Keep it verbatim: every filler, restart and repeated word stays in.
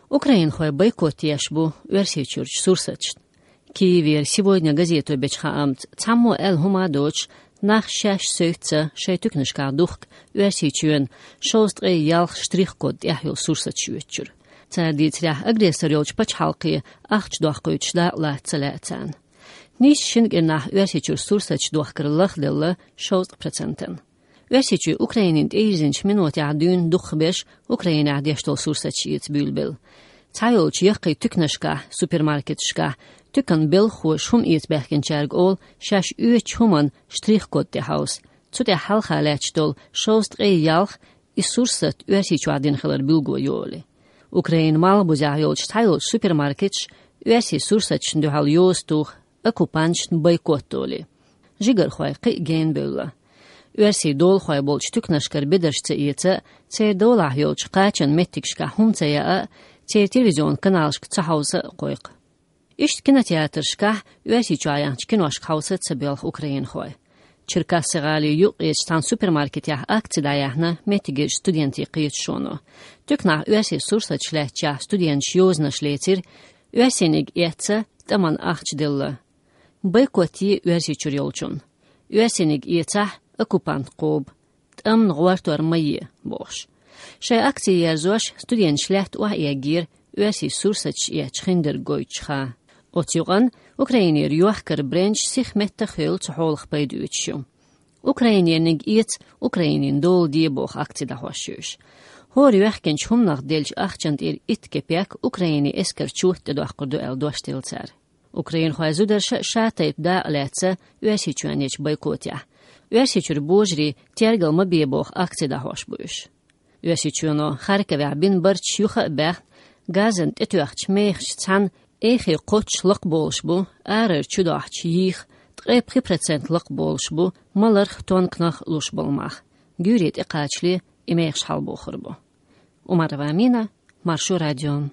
Украинхой бойкот еш бу Оьрсийчуьрчу сурсаташна. Киевера «Сегодня» газето бечу хаамца, цхьаммо аьлла хӀума а доцуш, нах шаьш севцца шайн туьканашкахь духку Оьрсийчоьнан шовзткъе ялх штрих-код тӀехь йолу сурсаташ оьцучуьра. Цара дийцарехь, агрессор йолчу пачхьалкхе ахча доккхуьйтуш дакъа лаца ца лаьа царна. Нийсса шина кӀирнахь Оьрсийчуьра сурсаташ дохкар лахделла шовзткъа процентана. Оьрсийчоь Украинина тӀейирзинчу минотехь дуьйна дукхахберш Украинехь деш долу сурсаташ эца буьйлабелла. Цхьайолчу яккхий туьканашкахь, супермаркеташкахь, туьканан белхахоша хӀума эца баьхкинчаьрга олу шаьш оьцучу хӀуманна штрих-код тӀехьовса. Цу тӀехь хьалха лаьтташ долу шовзткъе ялх и сурсат Оьрсийчохь дина хилар билгалйолу. Украинан малхбузехь йолчу цхьайолчу супермаркеташа оьрсийн сурсаташна дуьхьал йоза туха оккупанташна бойкот долий. Жигархой кхин а генабевлла. Оьрсийн долахой болчу туьканашкара бедарш ца эца а, церан долахь йолчу кхачанан меттигашкахь хӀума ца яа а, церан телевизионан каналашка ца хьовса а кхойкху. Иштта кинотеатрашкахь, Оьрсийчохь яьхначу киношка хьовса а ца боьлху украинхой. Черкассы-гӀалин юккъерчу цхьана супермаркетехь акци дӀаяьхьна меттигерчу студентийн кхеташоно. Туьканахь оьрсийн сурсаташ лаьттачехь студенташа йозанаш лецира, оьрсийниг эцца тӀамна ахча делла. Бойкот е Оьрсийчуьра йолчунна. Оьрсийниг эцахь, оккупант кхоба, тӀамна гӀортор ма е, бохуш. Шайн акци ерзош, студенташа лаьтта охьаэгира оьрсийн сурсаташ эцча хиндерг гойтуш хан. Оцу юкъанна Украинера йохкаран брендаш сиха меттах а хевлла цу хьолах пайда оьцуш ю. Украинерниг эца Украинина дола де, боху акци дӀахьош уьш. ХӀора йоьхкинчу хӀуманах деллачу ахчанна тӀера итт кепек Украинин эскарчо тӀедоккхур ду аьлла дош делла цара. Украинхойн зударша а шатайпа дакъа лаьцна Оьрсийчоьнан ечу бойкотехь. Оьрсийчуьра божарий тергал ма бе боху акци дӀахьош бу уьш. Оьрсийчоьно Харьковехь бина барташ юха а баьхна, газана тӀетоьхначу мехашца цхьаьна эхе кхоччуш лакхаболуш бу арара чудохьучу йийх, ткъе пхи процент лакхаболуш бу маларх, тонканах луш болу мах. Гуьйре тӀекхачале и мехаш хьалабохур бу. Умарова Амина, Маршо радио.